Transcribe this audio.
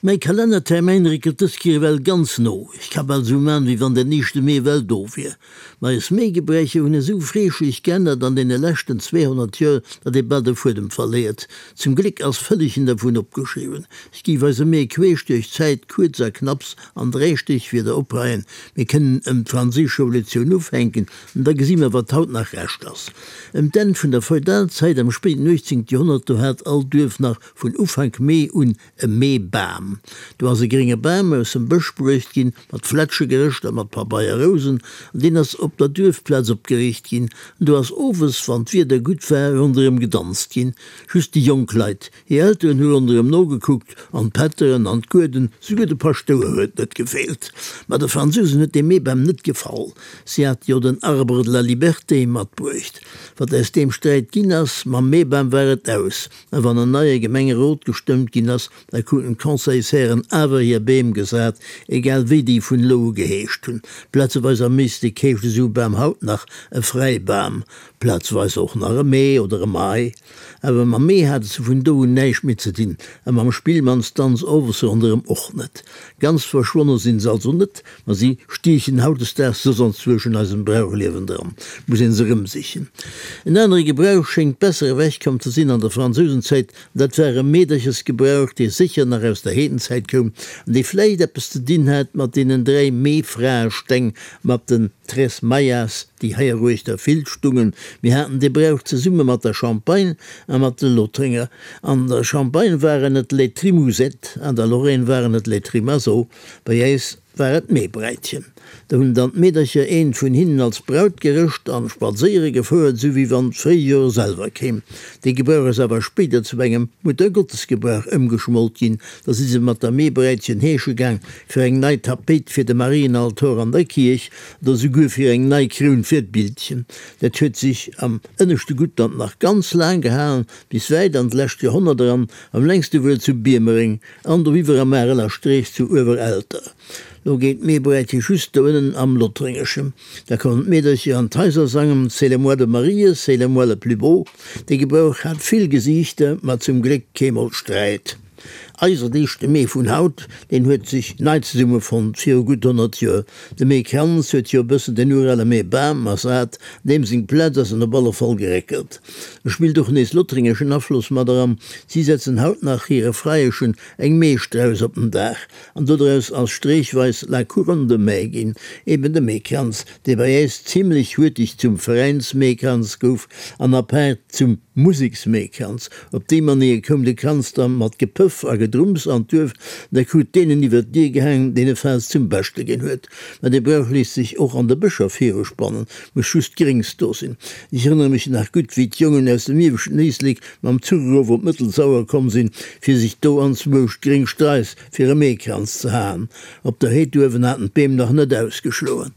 Mäi Kalennertermäin réckelt dës Kéier ewell ganz no. Ech ka bal sou man, wéi wann den éischte Mee ewell do wier. Ma eis Meegebräicher hunn esou freeschlech geännert an deene leschten 200 Joer, datt ee bal de Fuedem verléiert. Zum Gléck ass vëllegen dervun opgeschriwwen. Ech géif eise Mee queesch duerch d'Zäit kuerz a knapps an 3 Stéchwierder opreien. Mir kënnen ëm d'Franséisch Revolutioun ufänken, an da gesi mer, wat haut nach Rescht ass. Ëm d'Enn vun der Feudalzäit am spéiten 18. Joerhonnert, do hat all Duerf nach vun Ufank Mee un E Meebam. Do ass e grénge Bam aus dem Bësch bruecht ginn, mat Flätsche gerëscht a mat Pabeierrousen, an deen ass op der Duerfplaz opgeriicht ginn. An do ass owes, wann d'Wieder gutt war, ronderëm gedanzt ginn. Just déi jonk Leit. Hir Elteren hu ronderëm nogekuckt, an d'Pätteren an d'Gueden, souguer de Paschtouer huet net gefeelt. Ma de Fransousen huet dee Meebam net gefall. Si hate jo den Arbre de la Liberté matbruecht. Wat aus deem Sträit ginn ass, mam Meebam war et aus. A wann en neie Gemengerot gestëmmt ginn ass, da kruten d'Conseilshären awer hir Beem gesat, egal wéi déi vun elo u geheescht hunn. Plazeweis am Éislek heescht esou e Bam haut nach e Fräibam, plazeweis och nach e Mee oder e Mai. Awer mam Mee hate se vun do un näischt méi ze dinn, a mam Spillmannsdanz owes ronderëm och net. Ganz verschwonne sinn se also net, Ma si stiechen hautdesdaags soss anzwousch an eisem Brauchliewen dran, muss een se erëmsichen. En anere Gebrauch schéngt besser ewechkomm ze sinn an der Fransousenzäit, an dat war e Meederchesgebrauch, dee sécher nach aus der Heedenzäit koum an dee vläicht eppes ze dinn hat mat deenen 3 Meefraesteng, mat den Tres Mayas, déi heieruechter vill stungen. Mir haten dee Brauch zesumme mat der Champagne a mat de Lothringer. An der Champagne waren et les Trimousettes, an der Lorraine waren et les Trimazeaux. Bei äis war et d'Meebräitchen. Do hunn dann d'Meedercher eent vun hinnen als Braut gerëscht an spadséiere gefouert, sou wéi wann d'Fréijoer selwer kéim. Dee Gebrauch ass awer spéider zu engem Muttergottesgebrauch ëmgeschmolt ginn. Da si se mat der Meebräitchen heesche gaang fir eng nei Tapéit fir de Marienaltor an der Kierch oder souguer fir eng nei Kroun fir d'Bildchen. Dat huet sech am ënneschte Guttland nach ganz laang gehalen, bis wäit an d'lescht Joerhonnert eran, am längste wuel zu Biermereng. An doriwwer am Areler Streech zu Uewerelter. Lo geet d'Meebräitche just do ënnen am Lothréngeschen. Da kommen d'Meedercher an d'Haiser sangen C'est le mois de Marie, c'est le mois le plus beau. Dee Gebrauch hat vill Gesiichter, ma zum Gléck keemol Sträit. Eisen éischte Mee vun haut, deen huet sech nei zesummefonnt viru gutt 100 Joer. De Meekranz huet jo e bëssen den urale Meebam ersat, deem seng Plaz ass en op alle Fall geréckelt. E spillt och nees lothréngeschen Afloss mat eran, si setzen haut nach hire Freieschen eng Meestrauss op den Daach, an dodraus ass streechweis la couronne de mai ginn, eben de Meekranz, dee bei äis zimlech huerteg zum Veräinsmeekranz gouf an apaart zum Museksmeekranz. Op déi Manéier koum de Kranz da mat Gepëff a Gedrumms an d'Duerf, an da krut deen en iwwer d'Dier gehaangen, deen e Faass zum Beschte ginn huet. Mä dee Brauch léisst sech och an de Bëscher viruspannen, muss just Gréngs do sinn. Ech erënnere mech nach gutt, wéi d'Jongen aus dem ieweschten Éislek mam Zuch erof op d'Mëttelsauer komm sinn, fir sech do anzwousch gréng Straiss fir e Meekranz ze haen. Op der Heed uewen haten d'Beem nach net ausgeschloen.